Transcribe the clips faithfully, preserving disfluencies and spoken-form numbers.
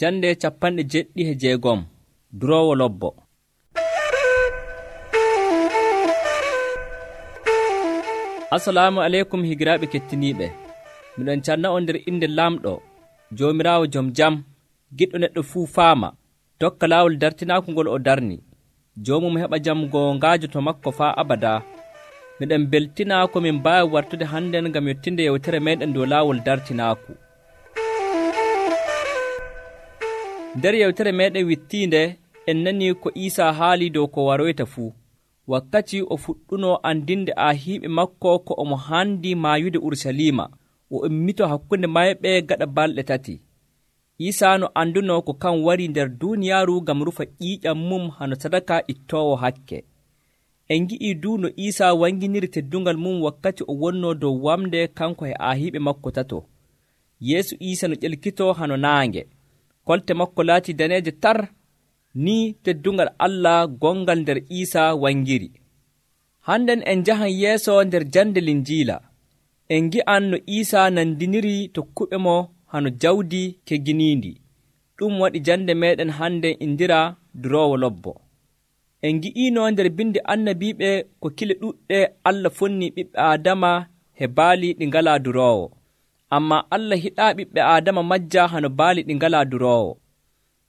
Jande capanɗe jeɗɗi e jeegom duroowo lobbo. Assalamu aleykum higiraaɓe kettiniiɓe. Miɗon canna on nder inde Lamɗo, Joomiraawo jom jam, giɗɗo neɗɗo fuu faama, tokka laawol dartinaaku ngol o darni. Joomum heɓa jam goongaajo to makko faa abadaa. Miɗen beltinaa ko min mbaawi wartude hannden ngam yottinde yewtere meeɗen dow laawol dartinaaku. Nder yewtere meeɗen wittiinde en nanii ko Iisaa haalii dow ko waroyta fuu. Wakkati o fuɗɗunoo andinde aahiiɓe makko ko omo haandi maayude Urusalima, o ummito hakkunde mayɓe gaɗa balɗe tati. Iisaa no andunoo ko kan warii nder duuniyaaru ngam rufa ƴiiƴam mum hano sadaka ittoowo hakke. En ngi'ii duu no Iisaa wanginiri teddungal mum wakkati o wonnoo dow wamde kanko e aahiiɓe makko tato. Yeesu Iisa no ƴelkitoo hano naange. Kolte makko laatii daneeje tar. Ni teddungal Allah gongal nder Iisaa wangiri. Hannden en njahan yeeso nder jande Linjiila. En ngi'an no Iisaa nandiniri tokkuɓe mo hano jawdi kegginiindi. Ɗum waɗi jande meeɗen hannden indiraa duroowo lobbo. En ngi'iino nder bindi annabiiɓe ko kile ɗuɗɗe Allah fonnii ɓiɓɓe Aadama he baali ɗi ngalaa duroowo. Ammaa Allah hiɗaa ɓiɓɓe Aadama majja hano baali ɗi ngalaa duroowo.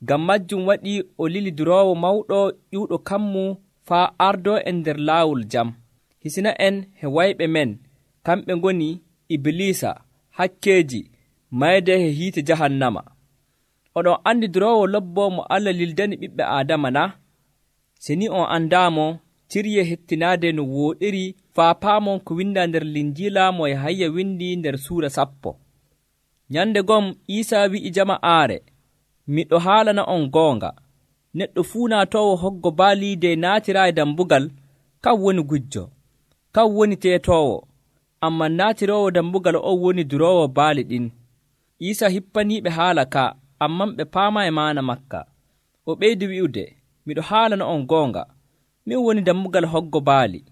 Ngam majjum waɗi o lili duroowo mawɗo ƴuuɗo kammu faa ardoo en nder laawol jam. Hisina en he wayɓe men, kamɓe ngoni Ibilisa, hakkeeji, mayde he hiite jahannama. Oɗon andi duroowo lobbo mo Allah lildani ɓiɓɓe Aadama na? Se ni on andaamo, cirye hettinaade no wooɗiri faa paamon ko windaa nder Linjiila mo Yahaya windi nder suura sappo. Nyande gom Iisaa wi'i jama'aare, miɗo haalana on goonga. Neɗɗo fuu naatoowo hoggo baali de naatiraa e dambugal, kan woni gujjo, kan woni teetoowo, ammaa naatiroowo dambugal on woni duroowo baali ɗin. Iisaa hippaniiɓe haala ka, amman ɓe paamaa e maana makka. O ɓeydi wi'ude, miɗo haalana on goonga, min woni dambugal hoggo baali.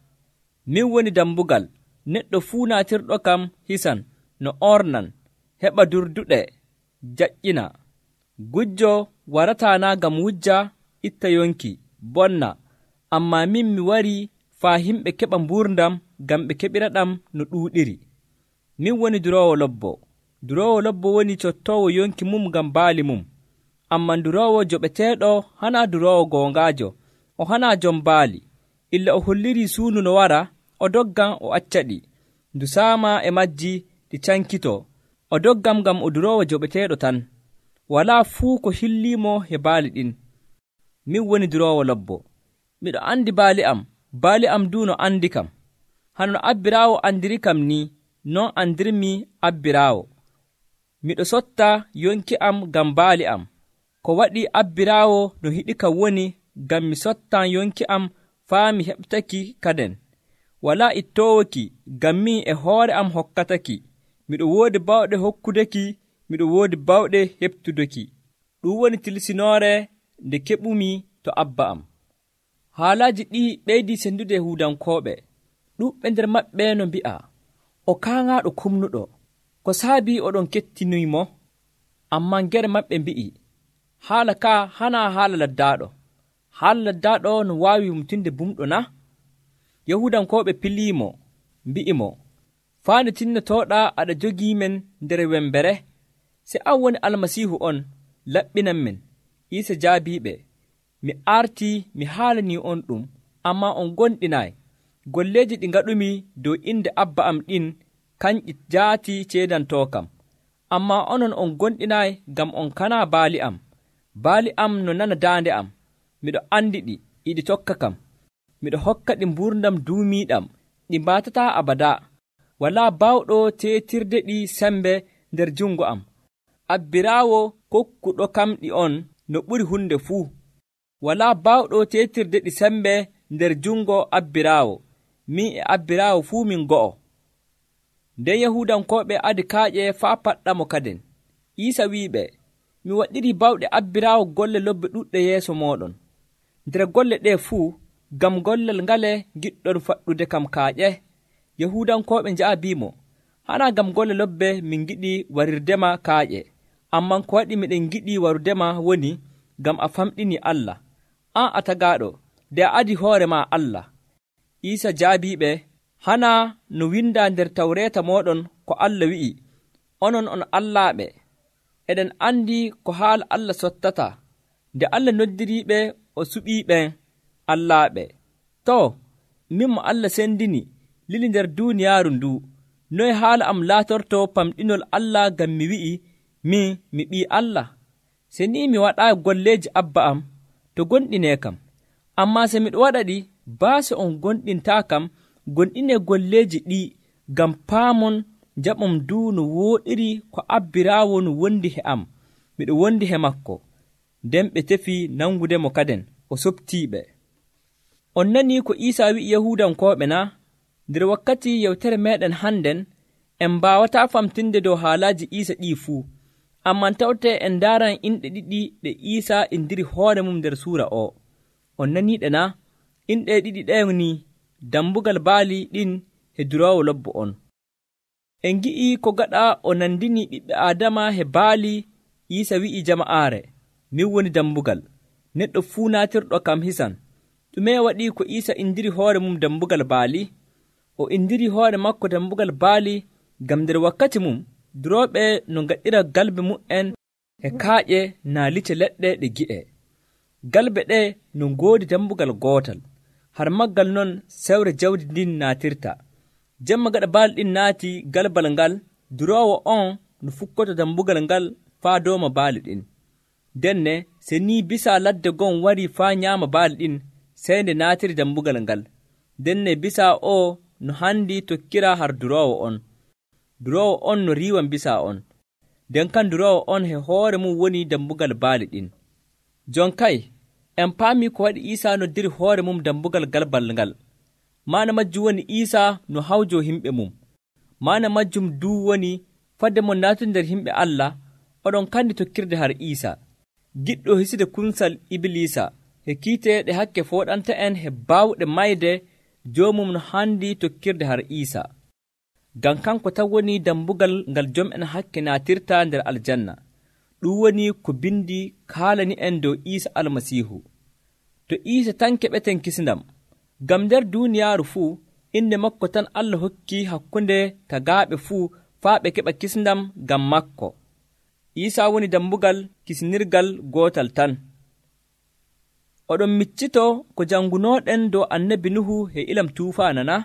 Min woni dambugal, neɗɗo fuu naatirɗo kam hisan no ornan, heɓa durduɗe, jaƴƴina. Gujjo warataa naa ngam wujja, itta yonki, bonna, ammaa min mi warii faa himɓe keɓa mbuurdam ngam ɓe keɓiraɗam no ɗuuɗiri. Min woni duroowo lobbo. Duroowo lobbo woni cottoowo yonki mum ngam baali mum. Ammaa duroowo joɓeteeɗo hanaa duroowo goongaajo, o hanaa jom baali. Illa o hollirii suunu no wara, o doggan o accaɗi. Ndu saama e majji ɗi cankitoo. O doggam ngam o duroowo joɓeteeɗo tan. Walaa fuu ko hilliimo he baali ɗin. Min woni duroowo lobbo. Miɗo andi baali am, baali am duu no andi kam. Hano no abbiraawo andiri kam ni, non andirmi abbiraawo. Miɗo sotta yonki am ngam baali am. Ko waɗi abbiraawo no hiɗi kam woni ngam mi sottan yonki am faa mi heɓtaki kaden. Walaa ittoowoki ngam min e hoore am hokkataki. Miɗo woodi bawɗe hokkudeki, miɗo woodi bawɗe heɓtudeki. Ɗum woni tilsinoore nde keɓumi to abba am. Haalaaji ɗi ɓeydii sendude Yahuudankooɓe. Ɗuuɓɓe nder maɓɓe no mbi'a, o kaaŋaaɗo kumnuɗo, ko saabii oɗon kettinoymo? Ammaa ngere maɓɓe mbi'i, haala ka hanaa haala laddaaɗo. Haala laddaaɗo no waawi wumtinde bumɗo na? Yahuudankooɓe piliimo, mbi'imo, faande tinnotooɗaa aɗa jogii men nder wembere? Se an woni Almasiihu on, laɓɓinan men. Iisa jaabiiɓe, mi artii mi haalanii on ɗum, ammaa on gonɗinaay. Golleeji ɗi ngaɗumi dow inde abba am ɗin, kanƴi jaati ceedantookam. Ammaa onon on gonɗinaay ngam on kanaa baali am. Baali am no nana daande am. Miɗo andi ɗi, iɗi tokka kam. Miɗo hokka ɗi mbuurdam duumiiɗam, ɗi mbaatataa abadaa. Walaa baawɗo teetirde ɗi sembe nder jungo am. Abbiraawo kokkuɗo kam ɗi on no ɓuri hunde fuu. Walaa baawɗo teetirde ɗi sembe nder jungo abbiraawo. Min e abbiraawo fuu min go'o. Nden Yahuudankooɓe adi kaaƴe faa paɗɗamo kaden. Iisa wi'iɓe, mi waɗirii bawɗe abbiraawo golle lobbe ɗuɗɗe yeeso mooɗon. Nder golle ɗee fuu, ngam gollal ngale giɗɗon faɗɗude kam kaaƴe? Yahuudankooɓe njaabiimo, hanaa ngam golle lobbe min giɗi warirdema kaaƴe, amman ko waɗi miɗen giɗi warudema woni ngam a famɗini Allah, an a tagaaɗo, nde a adi hoore ma Allah. Iisa jaabiiɓe, hana no windaa nder tawreeta mooɗon ko Allah wi'i, onon on allaaɓe. Eɗen andi ko haala Allah sottata, nde Allah noddiriiɓe o suɓiiɓen allaaɓe. Too, min mo Allah sendini lili nder duuniyaaru ndu, noye haala am laatorto famɗinol Allah ngam mi wi'i min mi ɓii Allah? Se ni mi waɗaayi golleeji Abba am, to gonɗinee kam. Ammaa se miɗo waɗa ɗi, baase on gonɗintaa kam, gonɗinee golleeji ɗii ngam paamon njaɓom du no wooɗiri ko abbiraawo no wondi he am, miɗo wondi he makko. Nden ɓe tefi nangudemo kaden, o soɓtiiɓe. On nanii ko Iisaa wi'i Yahuudankooɓe na? Nder wakkati yewtere meeɗen hannden, en mbaawataa famtinde dow haalaaji Iisa ɗii fuu, amman tawtee en ndaaran inɗe ɗiɗi ɗe Iisaa indiri hoore mum nder suura o. On naniiɗe na? Inɗe ɗiɗi ɗen ni dambugal baali ɗin he duroowo lobbo on. En ngi'i ko gaɗa o nandini ɓiɓɓe Aadama he baali, Iisa wi'i jama'aare, min woni dambugal, neɗɗo fuu naatirɗo kam hisan. Ɗume waɗi ko Iisa indiri hoore mum dambugal baali? O indiri hoore makko dambugal baali ngam nder wakkati mum durooɓe no ngaɗira galbe mu'en e kaaƴe naa lice leɗɗe ɗe gi'e. Galbe ɗe no ngoodi dambugal gootal, har maggal non sewre jawdi ndin naatirta. Jemma gaɗa baali ɗin naati galbal ngal, duroowo on no fukkoto dambugal ngal faa dooma baali ɗin. Denne se ni bisa ladde gon wari faa nyaama baali ɗin, sey nde naatiri dambugal ngal. Denne bisa o no handi tokkira har duroowo on. Duroowo on no riiwan bisa on. nden kan duroowo on he hoore mum woni dambugal baali ɗin. Jon kay, en paami ko waɗi Iisaa noddiri hoore mum dambugal galbal ngal. Maana majjum woni Iisaa no hawjo himɓe mum. Maana majjum duu woni fadde mon naatude nder himɓe Allah, oɗon kandi tokkirde har Iisaa, giɗɗo hiside kunsal Ibliisa, he kiite ɗe hakke fooɗanta en he baawɗe mayde joomum no handi tokkirde har Iisaa. Ngam kanko tan woni dambugal ngal jom'en hakke naatirta nder aljanna. Ɗum woni ko bindi kaalani en dow Iisa almasiihu. To Iisa tan keɓeten kisndam, ngam nder duuniyaaru fuu inde makko tan Allah hokki hakkunde tagaaɓe fuu faa ɓe keɓa kisndam ngam makko. Iisa woni dambugal kisnirgal gootal tan. Oɗon miccito ko janngunooɗen dow annabi Nuhu he ilam tuufaana na?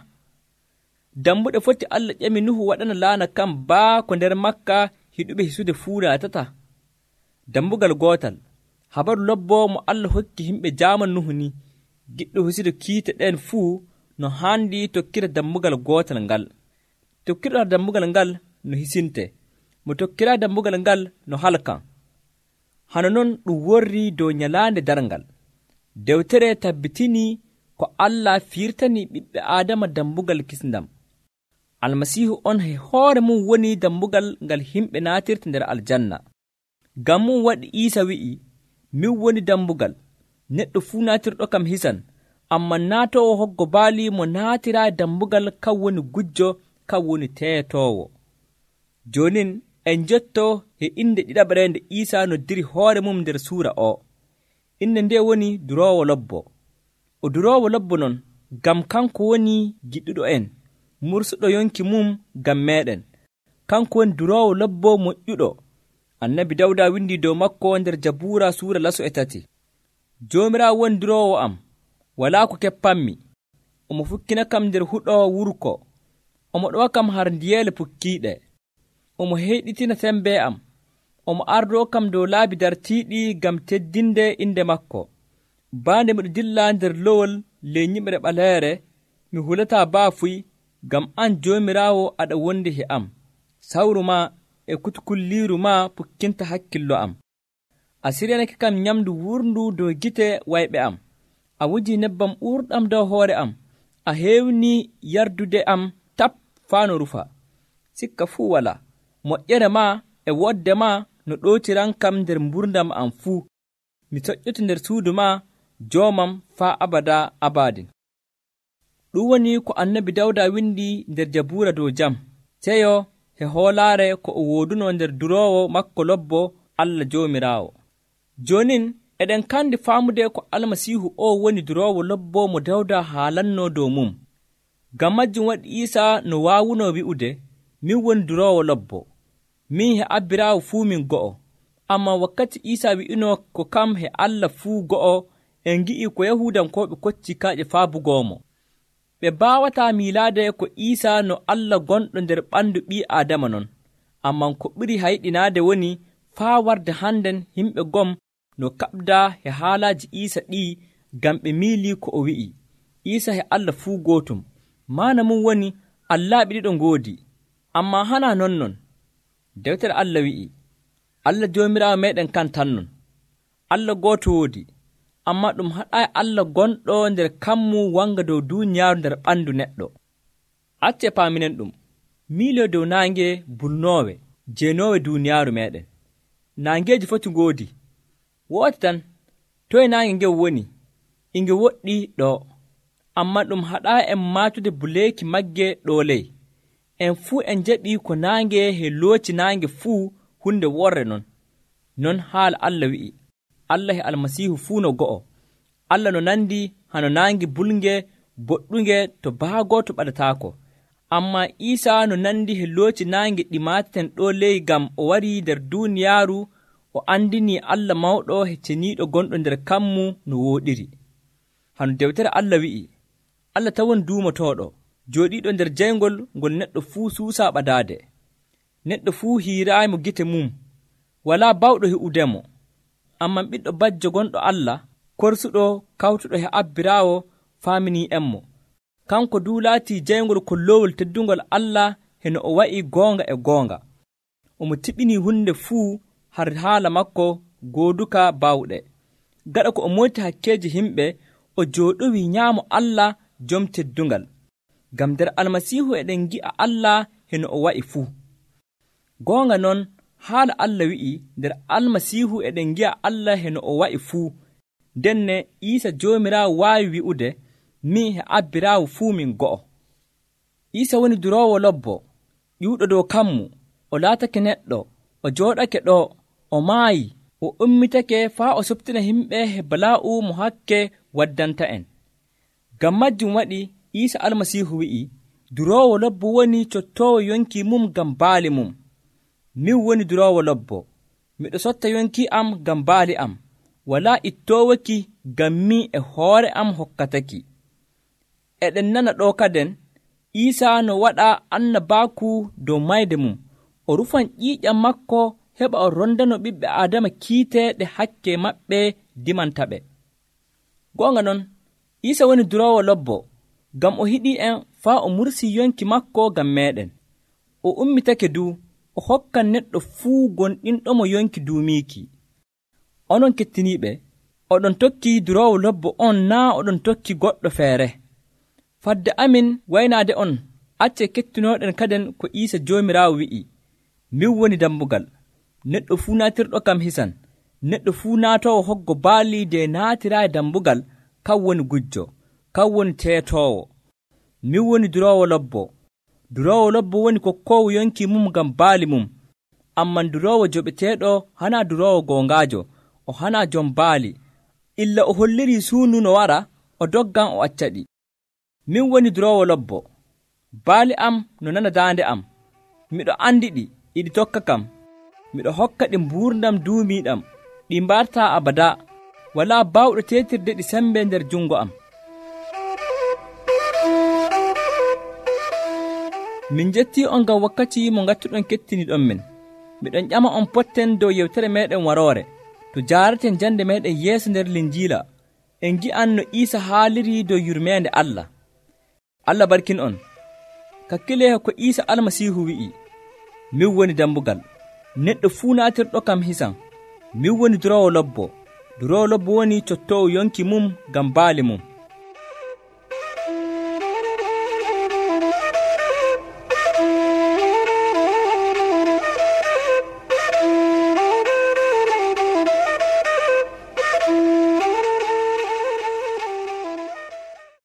Dambuɗe foti Allah ƴami Nuhu waɗana laana kam baa ko nder makka hiɗuɓe hisude fuu naatata. Dambugal gootal, habaru lobboo mo Allah hokki himɓe jaaman Nuhu ni, giɗɗo hisude kiite ɗen fuu no haandi tokkira dambugal gootal ngal. Tokkirɗo dambugal ngal no hisinte, mo tokkira dambugal ngal no halkan. Hano non ɗum worri dow nyalaande darngal. Dewtere tabbitinii ko Allah firtani ɓiɓɓe Aadama dambugal kisndam. Almasiihu on he hoore mum woni dambugal ngal himɓe naatirta nder aljanna. Ngam mum waɗi Iisa wi'i, min woni dambugal, neɗɗo fuu naatirɗo kam hisan, amman naatoowo hoggo baali mo naatiraa dambugal kan woni gujjo, kan woni teetoowo. Jonin en jottoo he inde ɗiɗaɓre nde Iisa noddiri hoore mum nder suura o. Inde nde woni duroowo lobbo. O duroowo lobbo non, ngam kanko woni giɗɗuɗo en, mursuɗo yonki mum ngam meeɗen. Kanko woni duroowo lobbo moƴƴuɗo. Annabi Dawda windi dow makko nder Jabuura suura laso e tati. Joomiraawo woni duroowo am, walaa ko keppanmi. Omo fukkina kam nder huɗo wurko. Omo ɗowa kam har ndiyeele pukkiiɗe. Omo heyɗitina sembe am. Omo ardoo kam dow laabi dartiiɗi ngam teddinde inde makko. Baande miɗo dilla nder lowol ley nyiɓre ɓaleere, mi hulataa baafuy, ngam an Joomiraawo aɗa wondi he am. Sawru ma e kutukulliiru ma pukkinta hakkillo am. A siryanake kam nyamdu wurndu dow gite wayɓe am. A wuji nebbam ɓurɗam dow hoore am. A heewni yardude am tap faa no rufa. Sikka fuu wala. Moƴƴere ma e wodde ma no ɗootiran kam nder mburdam am fuu. Mi soƴƴoto nder suudu ma, joomam faa abada abadin. Ɗum woni ko annabi Dawda windi nder Jabuura dow jam. Seyo he hoolaare ko o wooduno nder duroowo makko lobbo Allah Joomiraawo. Joonin eɗen kandi faamude ko Almasiihu o woni duroowo lobbo mo Dawda haalannoo dow mum. Ngam majjum waɗi Iisaa no waawunoo wi'ude, min woni duroowo lobbo, min he abbiraawo fuu min go'o. Ammaa wakkati Iisaa wi'inoo ko kam he Allah fuu go'o, en ngi'ii ko Yahuudankooɓe kocci kaaƴe faabugoomo. Ɓe mbaawataa miilaade ko Iisaa no Allah gonɗo nder ɓandu ɓii Aadama non. Ammaa ko ɓuri hayɗinaade woni faa warde hannden yimɓe gom no kaɓdaa he haalaaji Iisaa ɗii ngam ɓe miilii ko o wi'i, Iisaa he Allah fuu gootum. Maana mum woni allaaɓe ɗiɗo ngoodi. Ammaa hanaa nonnon. Dewtere Allah wi'i, Allah Joomiraawo meeɗen kan tan non. Allah gooto woodi, ammaa ɗum haɗaayi Allah gonɗo nder kammu wanga dow duuniyaaru nder ɓandu neɗɗo. Accee paaminen ɗum. Miiloo dow naange bulnoowe jeenoowe duuniyaaru meeɗen. Naangeeji foti ngoodi. Wooti tan, toye naange ngen woni? E nge woɗɗii ɗoo. Ammaa ɗum haɗaayi en maatude buleeki magge ɗoo ley. En fuu en jaɓii ko naange he looci naange fuu hunde worre non. Non haala Allah wi'i, Allah he Almasiihu fuu no go'o. Allah no nandi hano naange bulnge boɗɗunge to baagooto ɓadataako. Ammaa Iisaa no nandi he looci naange ɗi maateten ɗoo ley ngam o warii nder duuniyaaru o andinii Allah mawɗo he ceniiɗo gonɗo nder kammu no wooɗiri. Hano dewtere Allah wi'i, Allah tawon duumotooɗo, jooɗiiɗo nder jayngol ngol neɗɗo fuu suusaa ɓadaade. Neɗɗo fuu hiiraayimo gite mum, walaa bawɗo he'udemo. Ammaa ɓiɗɗo bajjo gonɗo Allah, korsuɗo kawtuɗo he abbiraawo, faaminii'enmo. Kanko duu laatii jayngol kolloowol teddungol Allah heno o wa'i goonga e goonga. Omo tiɓinii hunde fuu har haala makko gooduka baawɗe. Gaɗa ko o moyti hakkeeji himɓe, o jooɗowii nyaamo Allah jom teddungal. Ngam nder Almasiihu eɗen ngi'a Allah heno o wa'i fuu. Goonga non, haala Allah wi'i nder Almasiihu eɗen ngi'a Allah heno o wa'i fuu. Denne Iisaa Joomiraawo waawi wi'ude, min he abbiraawo fuu min go'o. Iisaa woni duroowo lobbo, ƴuuɗo dow kammu, o laatake neɗɗo, o jooɗake ɗo, o maayi, o ummitake faa o softina himɓe he balaa'u mo hakke waddanta en. Ngam majjum waɗi Iisaa Almasiihu wi'i, duroowo lobbo woni cottoowo yonki mum ngam baali mum. Min woni duroowo lobbo, miɗo sotta yonki am ngam baali am, walaa ittoowoki ngam min e hoore am hokkataki. Eɗen nana ɗo kaden, Iisaa no waɗa annabaaku dow mayde mum, o rufan ƴiiƴam makko heɓa o rondano ɓiɓɓe Aadama kiite ɗe hakke maɓɓe dimantaɓe. Goonga non, Iisaa woni duroowo lobbo, ngam o hiɗii en faa o mursii yonki makko ngam meeɗen. O ummitake duu, o hokkan neɗɗo fuu gonɗinɗomo yonki duumiiki. Onon kettiniiɓe, oɗon tokki duroowo lobbo on naa oɗon tokki goɗɗo feere. Fadde amin waynaade on, accee kettinooɗen kaden ko Iisaa Joomiraawo wi'i, min woni dammugal. Neɗɗo fuu naatirɗo kam hisan. Neɗɗo fuu naatoowo hoggo baali de naatiraayi dammugal, kan woni gujjo, kan woni teetoowo. Min woni duroowo lobbo. Duroowo lobbo woni kokkoowo yonki mum ngam baali mum. Amman duroowo joɓeteeɗo hanaa duroowo goongaajo, o hanaa jom baali. Illa o hollirii suunu no wara, o doggan o acca ɗi. Min woni duroowo lobbo. Baali am no nana daande am. Miɗo andi ɗi, iɗi tokka kam. Miɗo hokka ɗi mbuurdam duumiiɗam, ɗi mbartaa abadaa. Walaa baawɗo teetirde ɗi sembe nder jungo am. Min jettii on ngam wakkati mo ngattuɗon kettiniɗon min. Miɗon ƴama on potten dow yewtere meeɗen waroore, to jaaraten jande meeɗen yeeso nder Linjiila, en gi'an no Iisaa haaliri dow yurmeende Allah. Allah barkin on. Kakkilee ko Iisaa Almasiihu wi'i, min woni dammugal. Neɗɗo fuu naatirɗo kam hisan. Min woni duroowo lobbo. Duroowo lobbo woni cottoowo yonki mum ngam baali mum.